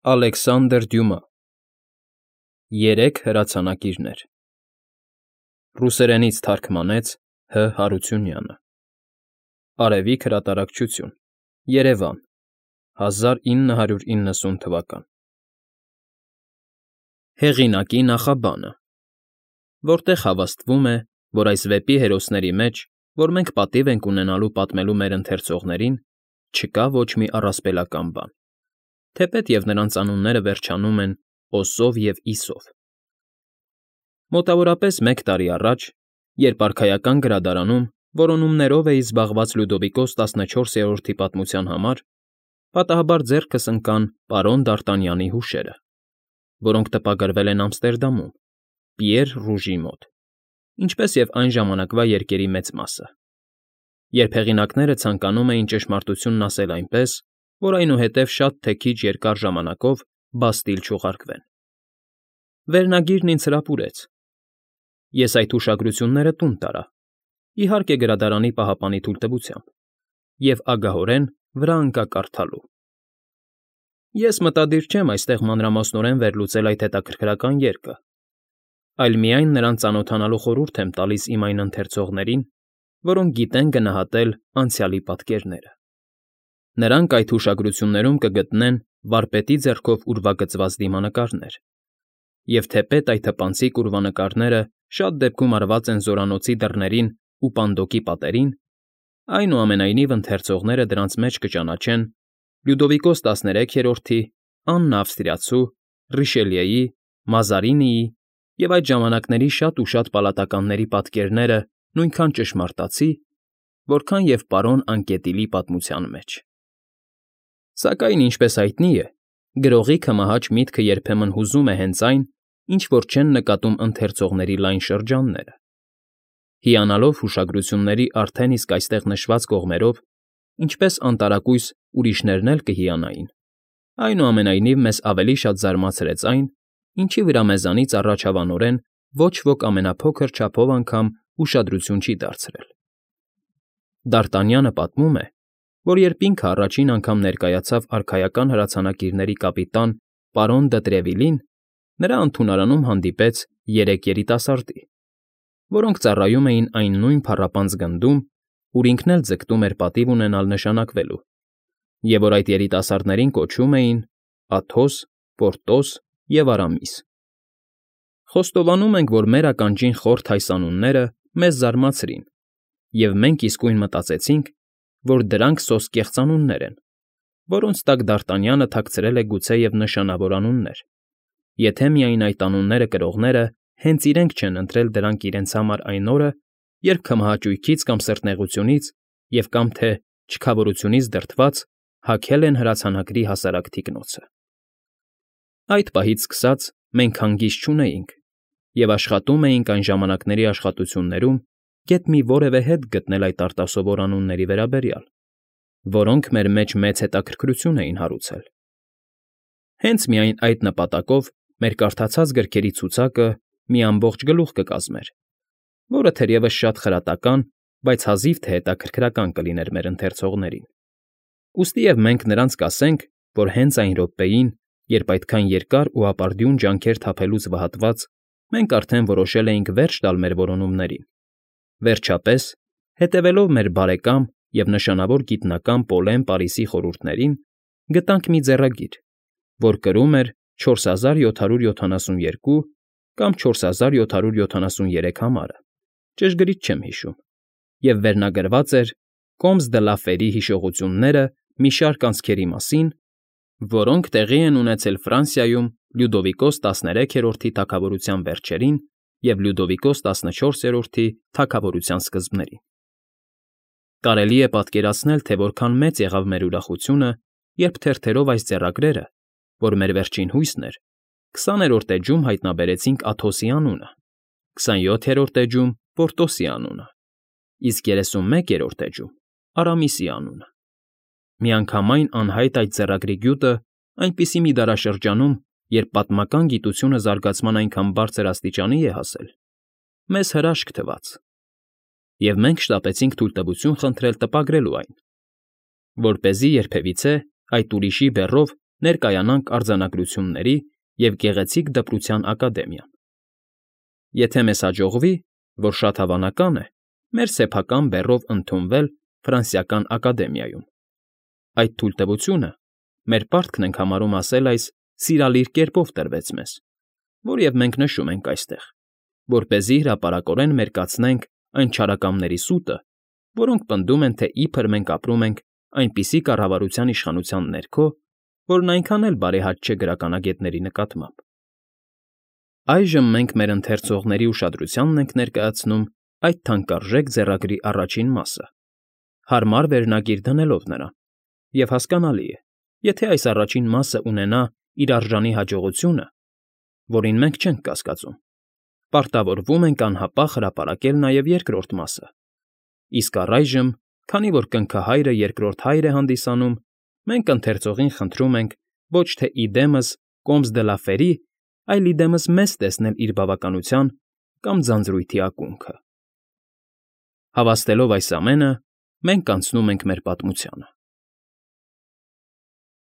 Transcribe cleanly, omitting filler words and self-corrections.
Ալեքսանդր Դյումա Երեք հրացանակիրներ Ռուսերենից թարգմանեց Հ. Հարությունյանը Արևիկ հրատարակչություն Երևան 1990 թվական Հեղինակի նախաբանը Որտեղ հավաստվում է, որ այս վեպի հերոսների մեջ, որ մենք պատիվ ենք ունենալու պատմելու մեր ընթերցողներին, չկա ոչ մի առասպելական բան, թեպետ և նրանց անունները վերջանում են օսով և իսով։ Մոտավորապես մեկ տարի առաջ, երբ արքայական գրադարանում որոնումներով էի զբաղված Լյուդովիկոս 14-րդի պատմության համար, պատահաբար ձեռքս ընկան պարոն Դ'Արտանյանի հուշերը, որոնք տպագրվել են Ամստերդամում, Պիեր Ռուժի մոտ, ինչպես և այն ժամանակվա երկերի մեծ մասը, երբ հեղինակները ցանկանում էին ճշմարտությունն ասել այնպես, որ այնուհետև շատ թե քիչ երկար ժամանակով բաստիլ չուղարկվեն։ Վերնագիրն ինձ հրապուրեց։ Ես այդ հուշագրությունները տուն տարա, իհարկե գրադարանի պահապանի թույլտվությամբ, և ագահորեն վրա ընկա կարդալու։ Ես մտադիր չեմ այստեղ մանրամասնորեն վերլուծել այդ հետաքրքրական երկը, այլ միայն նրան ծանոթանալու խորհուրդ եմ տալիս իմ այն ընթերցողներին, որոնք գիտեն գնահատել անցյալի պատկերները։ Նրանք այդ հուշագրություններում կգտնեն վարպետի ձեռքով ուրվագծված դիմանկարներ, և թեպետ այդ թպանցիկ ուրվանկարները շատ դեպքում արված են զորանոցի դռներին ու պանդոկի պատերին, այնուամենայնիվ ընթերցողները դրանց մեջ կճանաչեն Լյուդովիկոս 13-րդի, Աննա Ավստրիացու, Ռիշելիեի, Մազարինիի և այդ ժամանակների շատ ու շատ պալատականների պատկերները նույնքան ճշմարտացի, որքան և պարոն Անկետիլի պատմության մեջ։ Սակայն, ինչպես հայտնի է, գրողի կմահաճ միտքը երբեմն հուզում է հենց այն, ինչ որ չեն նկատում ընթերցողների լայն շրջանները։ Հիանալով հուշագրությունների արդեն իսկ այստեղ նշված կողմերով, ինչպես անտարակույս ուրիշներն էլ կհիանային, այնուամենայնիվ մեզ ավելի շատ զարմացրեց այն, ինչի վրա մեզանից առաջավանորեն ոչ ոք ամենափոքր չափով անգամ ուշադրություն չի դարձրել։ Դ'Արտանյանը պատմում է, որ երբ ինքը առաջին անգամ ներկայացավ արքայական հրացանակիրների կապիտան պարոն դը Տրևիլին, նրա ընդունարանում հանդիպեց երեք երիտասարդի, որոնք ծառայում էին այն նույն փառապանծ գնդում, ուր ինքն էլ ձգտում էր պատիվ ունենալ նշանակվելու, և որ այդ երիտասարդներին կոչում էին Աթոս, Պորտոս և Արամիս։ Խոստովանում ենք, որ մեր ականջին խորթ այս անունները մեզ զարմացրին, և մենք իսկույն մտածեցինք, որ դրանք սոսկեղծ անուններ են, որոնց տակ Դ'Արտանյանը թաքցրել է գուցեև նշանավոր անուններ, եթե միայն այդ անունները կրողները հենց իրենք չեն ընտրել դրանք իրենց համար այն օրը, երբ կմահաճույքից կամ սրտնեղությունից և կամ թե չքավորությունից դրդված հագել են հրացանակրի հասարակ թիկնոցը։ Այդ պահից սկսած մենք հանգիստ չունեինք և աշխատում էինք այն ժամանակների աշխատություններում գեթ մի որևէ հետ գտնել այդ արտասովոր անունների վերաբերյալ, որոնք մեր մեջ մեծ հետաքրքրություն էին հարուցել։ Հենց միայն այդ նպատակով մեր կարդացած գրքերի ցուցակը մի ամբողջ գլուխ կկազմեր, որը թերևս շատ խրատական, բայց հազիվ թե հետաքրքրական կլիներ մեր ընթերցողներին։ Ուստիև մենք նրանց կասենք, որ հենց այն րոպեին, երբ այդքան երկար ու ապարդյուն ջանքեր թափելուց վհատված, մենք արդեն որոշել էինք վերջ տալ մեր որոնումներին, վերջապես, հետևելով մեր բարեկամ և նշանավոր գիտնական Պոլեն Պարիսի խորհուրդներին, գտանք մի ձեռագիր, որ կրում էր 4772 կամ 4773 համարը, ճշգրիտ չեմ հիշում, և վերնագրված էր Կոմս դը լա Ֆերի հիշողությունները մի շարք անցքերի մասին, որոնք տեղի են ունեցել Ֆրանսիայում Լյուդովիկոս 13-րդի թագավորության վերջերին և Լյուդովիկոս 14-րդի թագավորության սկզբներին։ Կարելի է պատկերացնել, թե որքան մեծ եղավ մեր ուրախությունը, երբ թերթերով այս ձեռագրերը, որ մեր վերջին հույսն էր, 20-րդ էջում հայտնաբերեցինք Աթոսի անունը, 27-րդ էջում Պորտոսի անունը, իսկ 31-րդ էջում Արամիսի անունը։ Միանգամայն անհայտ այդ ձեռագրի գյուտը այնպիսի մի դարաշրջանում, երբ պատմական գիտությունը զարգացման այնքան բարձր աստիճանի է հասել, մեզ հրաշք թվաց, և մենք շտապեցինք թույլտվություն խնդրել տպագրելու այն, որպեսզի երբևիցե այդ ուրիշի բեռով ներկայանանք արձանագրությունների և գեղեցիկ դպրության ակադեմիան։ Եթե մեզ հաջողվի, որ շատ հավանական է, մեր սեփական բեռով ընդունվել Ֆրանսիական ակադեմիայում։ Այդ թույլտվությունը, մեր պարտքն ենք համարում ասել այս, սիրալիր կերպով տրվեց մեզ, որև մենք նշում ենք այստեղ, որպեսզի հրապարակորեն մերկացնենք այն չարակամների սուտը, որոնք պնդում են, թե իբր մենք ապրում ենք այնպիսի կառավարության իշխանության ներքո, որն այնքան էլ բարեհաճ չէ գրականագետների նկատմամբ։ Այժմ մենք մեր ընթերցողների ուշադրությանն ենք ներկայացնում այդ թանկարժեք ձեռագրի առաջին մասը, հարմար վերնագիր դնելով նրան, և հասկանալի է, եթե այս առաջին մասը ունենա իր արժանի հաջողությունը, որին մենք չենք կասկածում, պարտավորվում ենք անհապաղ հրապարակել նաև երկրորդ մասը, իսկ առայժմ, քանի որ կնքահայրը երկրորդ հայր է հանդիսանում, մենք ընթերցողին խնդրում ենք ոչ թե իդեմս Կոմս դը լա Ֆերի, այլ իդեմս մեզ տեսնել իր բավականության կամ ձանձրույթի ակունքը։ Հավաստելով այս ամենը, մենք անցնում ենք մեր պատմությանը։